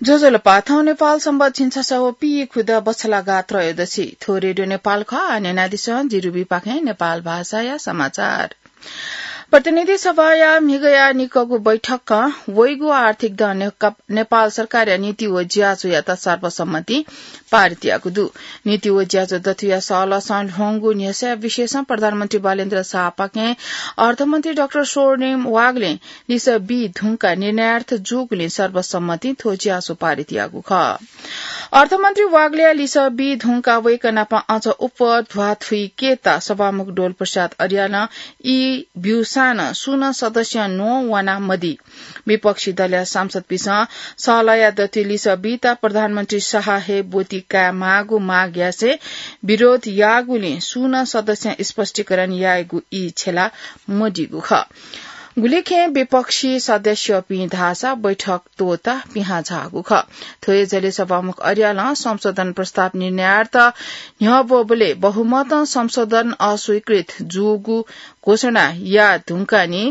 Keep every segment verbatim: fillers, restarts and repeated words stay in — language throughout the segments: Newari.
ज्वजलपा, थौं नेपाल संवत् झिंछसः व पीखुदँ बछलागा त्रयोदशी। थ्व रेडियो नेपाल खः। आः न्यनादिसँ, जिरुबीपाखें नेपाल भाषाया समाचार। प्रतिनिधि सभाया म्हिगःया निकःगु बैठकं वइगु आर्थिक दँ ने-, नेपाल सरकारया नीति व ज्याझ्वःयात सर्वसम्मतिं पारित याःगु दु। नीति व ज्याझ्वः दथुया सहलहसं ल्ह्वंगु न्ह्यसः विषयसं प्रधानमन्त्री बालेन्द्र शाहपाखें अर्थमन्त्री डाक्टर स्वर्णिम वाग्लें लिसः बी धुंकाः निर्णयार्थ जूगुलिं सर्वसम्मतिं थ्व ज्याझ्वः पारित याःगु खः। अर्थमन्त्री वाग्लेया लिसः बी धुंकाः वय्कः नाप अझ अप्वः ध्वाथुइकेत सभामुख डोल प्रसाद अर्यालं ई ब्यूसां नं सुं नं सदस्यं न्ववाना मदी। विपक्षी दलया सांसदपिन्सं सहलहया दथुइ लिसः बीत प्रधानमन्त्री शाह हे ब्वति कायेमाःगु माग यासें विरोध याःगुलिं सुं नं सदस्यं स्पष्टीकरण यायेगु ई छ्यला मदीगु खः। गुलिखें विपक्षी सदस्यपिं धाःसा बैठक त्वःताः पिहां झाःगु खः। थ्व हे झ्वलय् सभामुख अर्यालं संशोधन प्रस्ताव निर्णयार्थ न्ह्यब्वःबलय् बहुमतं संशोधन अस्वीकृत जूगु घोषणा याये धुंकाः नि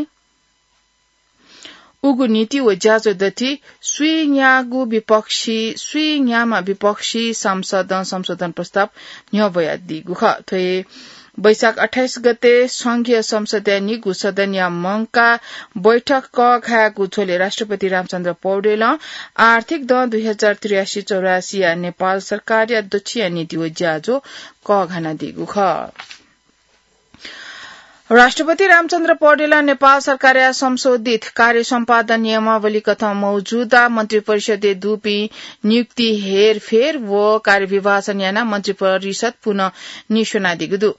उगु नीति व ज्याझ्वः दथुइ स्वीन्यागू विपक्षी, स्वीन्याम्ह विपक्षी सांसदं संशोधन प्रस्ताव न्ह्यब्वयादीगु खः। थ्व हे वैशाख अट्ठाइस गते संघीय संसदया निगू सदनया मंकाः बैठक कःघायेगु झ्वलय् राष्ट्रपति रामचन्द्र पौडेलं आर्थिक दँ दुई हजार त्रियासी चौरासीया नेपाल सरकारया दच्छिया नीति व ज्याझ्वः कःघानादीगु खः। राष्ट्रपति रामचन्द्र पौडेलं नेपाल सरकारया संशोधित कार्य सम्पादन नियमावली कथं मौजूदा मन्त्रिपरिषदय् दुपिं नियुक्ति हेरफेर व कार्यविभाजन यानाः मन्त्रिपरिषद पुनः नीस्वनादीगु दु।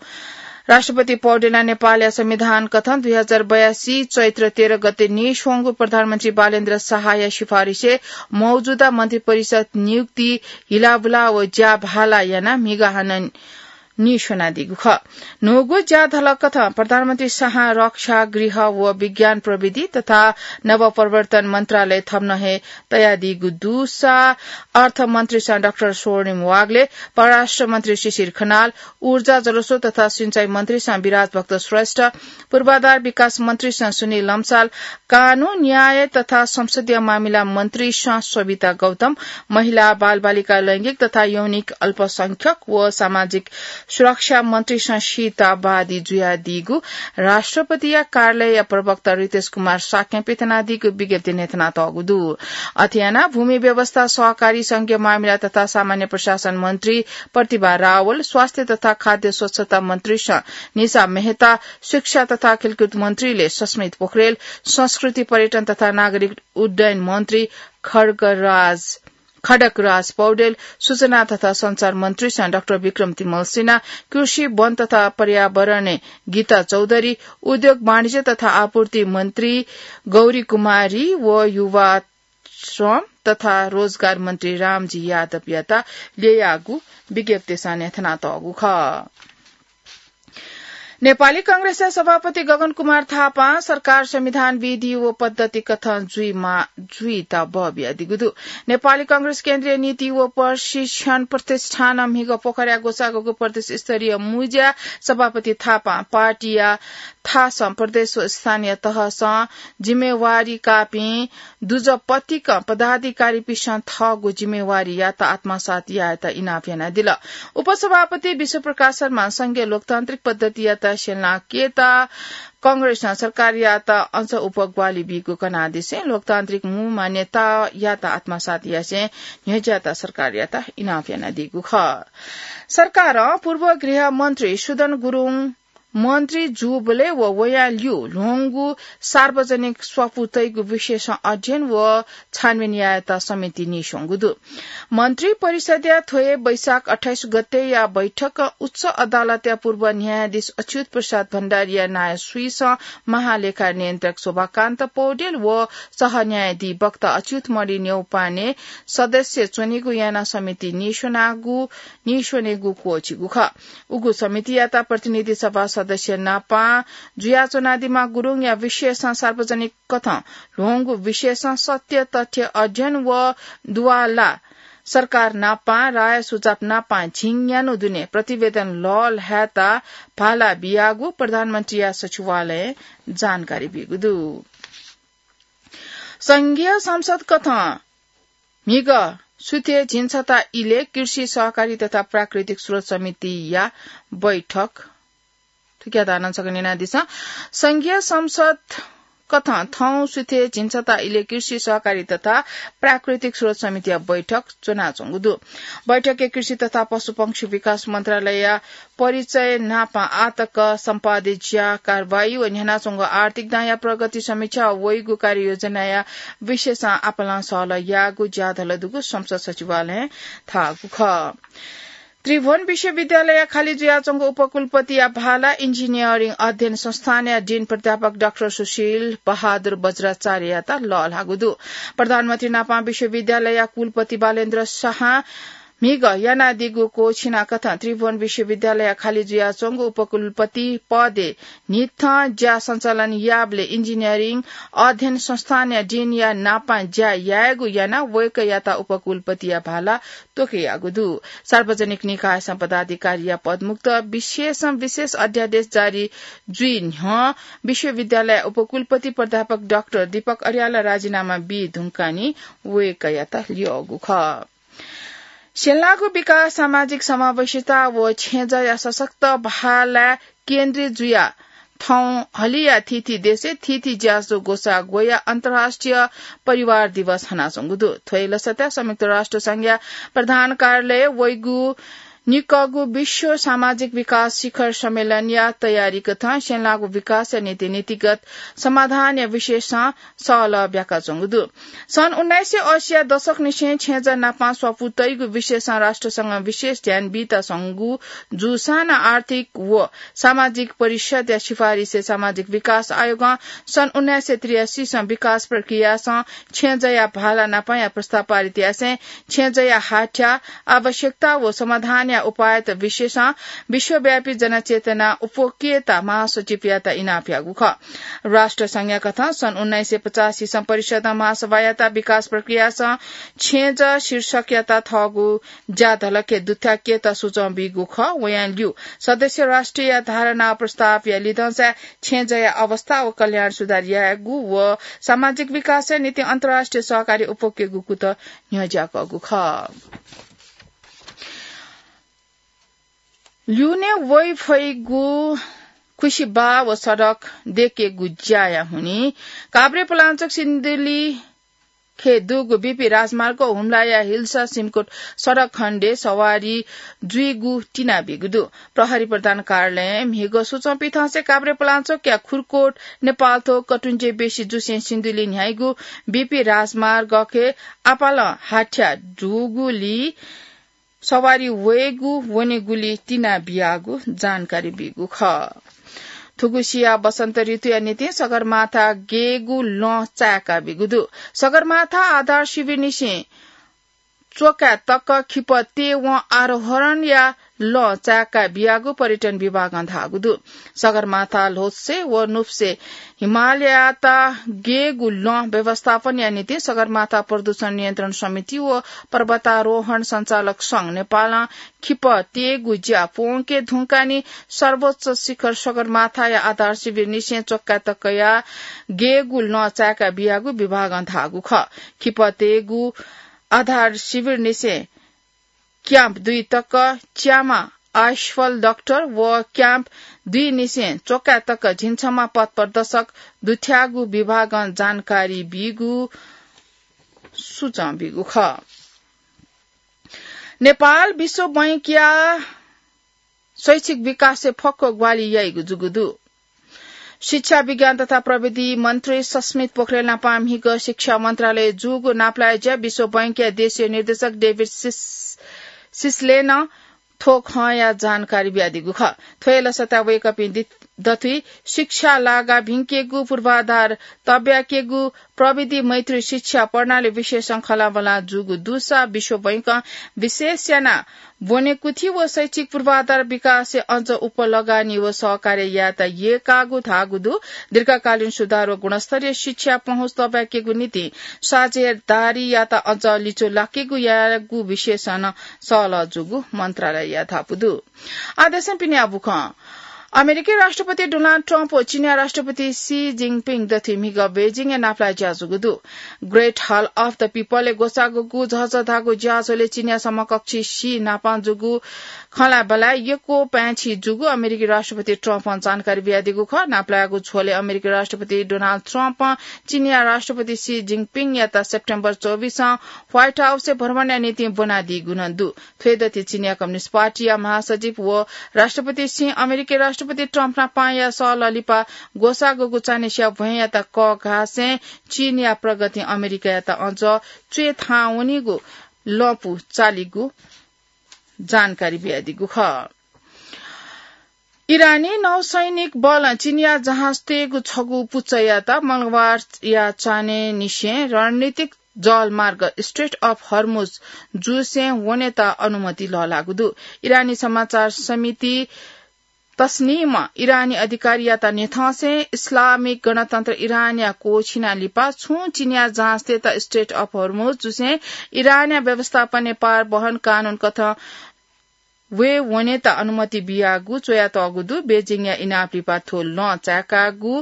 राष्ट्रपति पौडेलं नेपालया संविधान कथं दुई हजार बयासी चैत्र तेह्र गते नीस्वंगु प्रधानमन्त्री बालेन्द्र शाहया सिफारिसय् मौजूदा मन्त्रिपरिषद नियुक्ति हिलाबुला व ज्याभाला यानाः म्हिगः हानं नीस्वनादीगु खः। न्हूगु ज्याधलख कथं प्रधानमन्त्री शाहं रक्षा, गृह व विज्ञान प्रविधि तथा नवप्रवर्तन मन्त्रालय थम्हं हे तयादीगु दुसा अर्थमन्त्रीसं डाक्टर स्वर्णिम वाग्ले, परराष्ट्र मन्त्री शिशिर खनाल, ऊर्जा, जलस्रोत तथा सिंचाई मन्त्रीसं विराज भक्त श्रेष्ठ, पूर्वाधार विकास मन्त्रीसं सुनिल लम्साल, कानून, न्याय तथा संसदीय मामिला मन्त्रीसं सविता गौतम, महिला, बालबालिका, लैंगिक तथा यौनिक अल्पसंख्यक व सामाजिक सुरक्षा मन्त्रीसं सीता बादी जुयादीगु राष्ट्रपतिया कार्यालयया प्रवक्ता रितेश कुमार शाक्यं पिथनादीगु विज्ञप्तिइ न्ह्यथनातःगु दु। अथे यानाः भूमि व्यवस्था, सहकारी, संघीय मामिला तथा सामान्य प्रशासन मन्त्री प्रतिभा रावल, स्वास्थ्य तथा खाद्य स्वच्छता मन्त्रीसं निशा मेहता, शिक्षा तथा खेलकुद मन्त्रीले सस्मित पोखरेल, संस्कृति, पर्यटन तथा नागरिक उड्डयन मन्त्री खड्गराज, खड्गराज पौडेल, सूचना तथा सञ्चार मन्त्रीसं डाक्टर विक्रम तिमल सिन्हा, कृषि, वन तथा पर्यावरण गीता चौधरी, उद्योग, वाणिज्य तथा आपूर्ति मन्त्री गौरी कुमारी व युवा, श्रम तथा रोजगार मन्त्री रामजी यादवयात ल्ययागु विज्ञप्तिसं न्ह्यथनातःगु खः। नेपाली कांग्रेसया सभापति गगन कुमार थापां सरकार संविधान विधि व पद्धति कथं जुइमा-, जुइत बः बियादीगु दु। नेपाली कांग्रेस केन्द्रीय नीति व प्रशिक्षण प्रतिष्ठानं म्हिगः पोखराया ग्वसाःगु प्रदेश स्तरीय मुँज्याय् सभापति थापां पार्टीया थासं प्रदेश व स्थानीय तहसं जिम्मेवारी काःपिं दुजः पतिकं पदाधिकारीपिन्सं थःगु जिम्मेवारीयात आत्मसात यायेत इनाप यानादिल। उपसभापति विश्वप्रकाश शर्मां संघीय लोकतान्त्रिक पद्धतियात स्यनाकेत कांग्रेसं सरकारयात अझ अप्वः ग्वाहालि बीगु कनादिसें लोकतान्त्रिक मू मान्यतायात आत्मसात यासें न्ह्यज्याःत सरकारयात इनाप यानादीगु खः। सरकारं पूर्व गृह मन्त्री सुदन गुरुङ मन्त्री जूबलय् व वयां ल्यू ल्ह्वंगु सार्वजनिक स्वापू तइगु विषयसं अध्ययन व छानबिन यायेत समिति नीस्वंगु दु। मन्त्री परिषदया थ्व हे वैशाख अट्ठाइस गतेया बैठकं उच्च अदालतया पूर्व न्यायाधीश अच्युत प्रसाद भण्डारीया नायः स्वीसं महालेखा नियन्त्रक शोभाकान्त पौडेल व सहन्यायाधिवक्ता अच्युत मणि न्यौपाने सदस्य च्वनेगु यानाः समिति नीस्वनागु, नीस्वनेगु क्वःछिगु खः। उगु समितियात प्रतिनिधि सभा सदस्य नापं जुयाच्वनादीम्ह गुरुङया विषयसं सार्वजनिक कथं ल्ह्वंगु विषयसं सत्य तथ्य अध्ययन व दुवाला सरकार नापं राय सुझाव नापं झिंन्यान्हु दुने प्रतिवेदन लःल्हायेत भाला बियागु प्रधानमन्त्रीया सचिवालयं जानकारी बीगु दु। संघीय संसद कथं म्हिगः सुथे झिंछता इलय् कृषि सहकारी तथा प्राकृतिक स्रोत समितिया बैठक। थुकिया धारणा छकः न्यनादिसँ। संघीय संसद कथं थौं सुथे झिंछता इलय् कृषि सहकारी तथा प्राकृतिक स्रोत समितिया बैठक च्वनाच्वंगु दु। बैठकय् कृषि तथा पशुपक्षी विकास मन्त्रालयया परिचय नापं आःतक सम्पादित ज्या कारवाही व न्ह्यानाच्वंगु आर्थिक दांया प्रगति समीक्षा व वइगु कार्ययोजनाया विषयसं आपालं सहलह याःगु ज्याधल दुगु संसद सचिवालयं धाःगु खः। त्रिभुवन विश्वविद्यालयया खाली जुयाच्वंगु उपकुलपतिया भाला इन्जिनियरिङ अध्ययन संस्थानया डिन प्राध्यापक डाक्टर सुशील बहादुर बज्राचार्ययात लःल्हाःगु दु। प्रधानमन्त्री नापं विश्वविद्यालयया कुलपति बालेन्द्र शाहं म्हिगः यानादीगु क्वःछिना कथं त्रिभुवन विश्वविद्यालयया खाली जुयाच्वंगु उपकुलपति पदय् न्हिथं ज्या सञ्चालन याःबलय् इन्जिनियरिङ अध्ययन संस्थानया डिनया नापं ज्या यायेगु यानाः वय्कःयात उपकुलपतिया भाला त्वःकेयागु दु। सार्वजनिक निकायसं पदाधिकारीया पदमुक्त विशेषं विशेष अध्यादेश जारी जुइ न्ह्यः विश्वविद्यालय उपकुलपति प्राध्यापक डाक्टर दीपक अर्याल राजीनामा बी धुंकाः नि वय्कःयात ल्यःगु खः। स्यनेलाःगु विकास, सामाजिक समावेशिता व छेँजःया सशक्त भालाय् केन्द्रित जुयाः थौं हलिया थीथी देशय् थीथी ज्याझ्वः ग्वसाः ग्वयाः अन्तर्राष्ट्रिय परिवार दिवस हनाच्वंगु दु। थ्व हे लसताय् संयुक्त राष्ट्र संघया प्रधान कार्यालयय् वइगु निकःगु विश्व सामाजिक विकास शिखर सम्मेलनया तयारी कथं स्यनेलाःगु विकासया निंतिं नीतिगत समाधानया विषयसं सहलह ब्याकाच्वंगु दु। सन् उन्नाइस सय अस्सीया दशकनिसें छेँजः नापं स्वापू तइगु विषयसं राष्ट्रसंघं विशेष ध्यान बीत स्वंगु जूसां नं आर्थिक व सामाजिक परिषदया सिफारिसय् सामाजिक विकास आयोगं सन् उन्नाइस सय त्रियासीसं विकास प्रक्रियासं छेँजःया भाला नापंया प्रस्ताव पारित यासें छेँजःया हाथ्या, आवश्यकता व समाधानया उपायत विषयसं विश्वव्यापी जनचेतना उप्वकेत महासचिवयात इनाप याःगु खः। राष्ट्रसंघया कथं सन् उन्नाइस सय पचासीसं परिषदं महासभायात विकास प्रक्रियासं छेँजः शीर्षकयात थःगु ज्याधलखय् दुथ्याकेत सुचं बीगु खः। वयां ल्यू सदस्य राष्ट्रया धारणा प्रस्तावया लिधंसाय् छेँजःया अवस्था व कल्याण सुधार यायेगु व सामाजिक विकासया निंतिं अन्तर्राष्ट्रिय सहकारी उप्वकेगु कुतः न्ह्यज्याकःगु खः। ल्यूने वइफइगु खुसिबाः व सडक दयेकेगु ज्याया हुनिं काभ्रेपलाञ्चोक सिन्धुली खय् दुगु बीपी राजमार्ग हुम्लाया हिल्सा सिमकुट सडक खण्डय् सवारी जुइगु तिनाबीगु दु। प्रहरी प्रधान कार्यालयं म्हिगः सुचं पिथंसे काभ्रेपलाञ्चोकया खुरकोट नेपालथ्व कटुञ्जे बेसी जुसें सिन्धुली न्ह्याइगु बीपी राजमार्ग खय् आपालं हाथ्या दुगुली सवारी वयेगु वनेगुली तिनाबियागु जानकारी बीगु खः। थुगु सिया वसन्त ऋतुया निंतिं सगरमाथा गयेगु लँ चाय्का बीगु दु। सगरमाथा आधार शिविरनिसें च्वकाय् तक खिपः तयेवं आरोहणया लँ चाय्का बियागु पर्यटन विभागं धाःगु दु। सगरमाथा ल्होत्से व नुप्से हिमालयात गयेगु लँ व्यवस्थापनया निंतिं सगरमाथा प्रदूषण नियन्त्रण समिति व पर्वतारोहण सञ्चालक संघ नेपालं खिपः तयेगु ज्या प्वंके धुंकाः नि सर्वोच्च शिखर सगरमाथाया आधार शिविरनिसें च्वकाय् तकया गयेगु लँ चाय्का बियागु विभागं धाःगु खः। खिपः तयेगु आधार शिविरनिसें क्याम्प दुई तक च्यामा आइसफल डाक्टर व क्याम्प दुई निसें च्वकाय् तक झिंछम्हा पथ प्रदर्शक दुथ्याःगु विभागं जानकारी बीगु सुचं बीगु खः। नेपाल विश्व बैंकया शैक्षिक विकासय् फक्व ग्वाहालि याइगु जूगु दु। शिक्षा, विज्ञान तथा प्रविधि मन्त्री सस्मित पोखरेल नापं म्हिगः शिक्षा मन्त्रालयय् जूगु नापलाये ज्या विश्व बैंकया देशीय निर्देशक डेभिड सिस-, सिसलेनं थ्व खँया जानकारी बियादीगु खः। थ्व हे लसताय् वय्कःपिं दि-, दथुइ शिक्षा लागा भिंकेगु, पूर्वाधार तब्याकेगु, प्रविधि मैत्री शिक्षा प्रणाली विषयसं खँल्हाबल्हा जूगु दुसा विश्व बैंकं विशेष यानाः ब्वनेकुथि व शैक्षिक पूर्वाधार विकासय् अझ उप लगानी व सहकार्य यायेत यय्कागु धाःगु दु। दीर्घकालीन सुधार व गुणस्तरीय शिक्षा पहुँच तब्याकेगु निंतिं साझेदारीयात अझ लिचु लाकेगु यायेगु विषयसं नं सहलह जूगु मन्त्रालयया धापू दु। आः देशय् पिने आः बुखँ। अमेरिकी राष्ट्रपति डोनाल्ड ट्रम्प व चीनया राष्ट्रपति सी जिनपिङ दथुइ म्हिगः बेजिङय् नापलाये ज्या जूगु दु। Great Hall of the People-य् ग्वसाःगु झःझः धाःगु ज्याझ्वलय् चीनया समकक्षी सी नापं जूगु खँल्हाबल्हाय् यक्व पाय्छि जूगु अमेरिकी राष्ट्रपति ट्रम्पं जानकारी बियादीगु खः। नापलायेगु झ्वलय् अमेरिकी राष्ट्रपति डोनाल्ड ट्रम्पं चीनया राष्ट्रपति सी जिनपिङयात सेप्टेम्बर चौबिसं White House-य् भ्रमणया निंतिं ब्वनादीगु नं दु। थ्व दथुइ चीनया कम्युनिस्ट पार्टीया महासचिव व राष्ट्रपति सिं अमेरिकी राष्ट्रपति ट्रम्प नापंया सहलह लिपा ग्वसाःगु चान्हय् स्याःभ्वय्‌यात कःघासें चीनया प्रगतिं अमेरिकायात अझ च्वय् थाहां वनीगु लँपु चालीगु जानकारी बियादीगु खः। इरानी नौसैनिक बलं चीनया जहाजतय्‌गु छगू पुचःयात मंगलबारया चान्हय्‌निसें रणनीतिक जलमार्ग Strait of Hormuz जुसें वनेत अनुमति लःल्हाःगु दु। इरानी समाचार समिति तस्निमं इरानी अधिकारीयात न्ह्यथंसें इस्लामिक गणतन्त्र इरानया क्वःछिना लिपा छुं चीनया जहाजतय्‌त Strait of Hormuz जुसें इरानया व्यवस्थापनय् पार वहन कानून कथं वये वनेत अनुमति बियागु च्वयातःगु दु। बेजिङया इनाप लिपा थ्व लँ चाय्‌कागु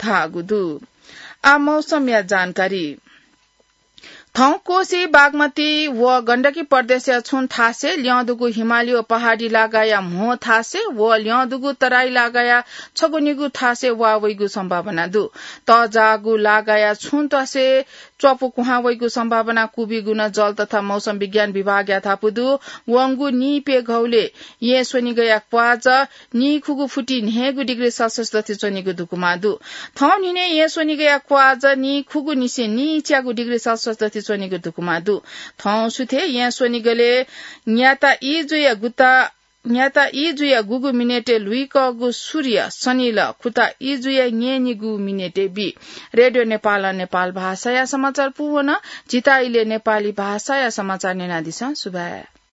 धाःगु दु। आः मौसमया जानकारी। थौं कोशी, बागमती व गण्डकी प्रदेशया छुं थासय्, ल्यं दुगु हिमाली व पहाडी लागाया म्हो थासय् व ल्यं दुगु तराई लागाया छगू निगू थासय् वा वइगु सम्भावना दु। तःजाःगु लागाया छुं थासय् च्वापु कुहां वइगु सम्भावना क्वबिगु नं जल तथा मौसम विज्ञान विभागया धापू दु। वंगु नीप्यघौलय् येँ स्वनिगःया क्वाःजः नीखुगू फुति न्हय्‌गू डिग्री सेल्सियस दथुइ च्वनीगु धुकुमा दु। थौं न्हिनय् येँ स्वनिगःया क्वाःजः नीखुगू निसें नीच्यागू डिग्री सेल्सियस दथुइ च्वनीगु धुकुमा दु। थौं सुथय् येँ स्वनिगलय् न्याता ई जुया गुता न्याता ई जुया गुगु मिनेटय् लुइकःगु सूर्य सनिलः खुता ई जुया न्यय्‌निगू मिनेटय् बी। रेडियो नेपालं नेपाल भाषाया समाचार पूवन। झीत इलय् नेपाली भाषाया समाचार न्यनादिसँ। सुभाय्।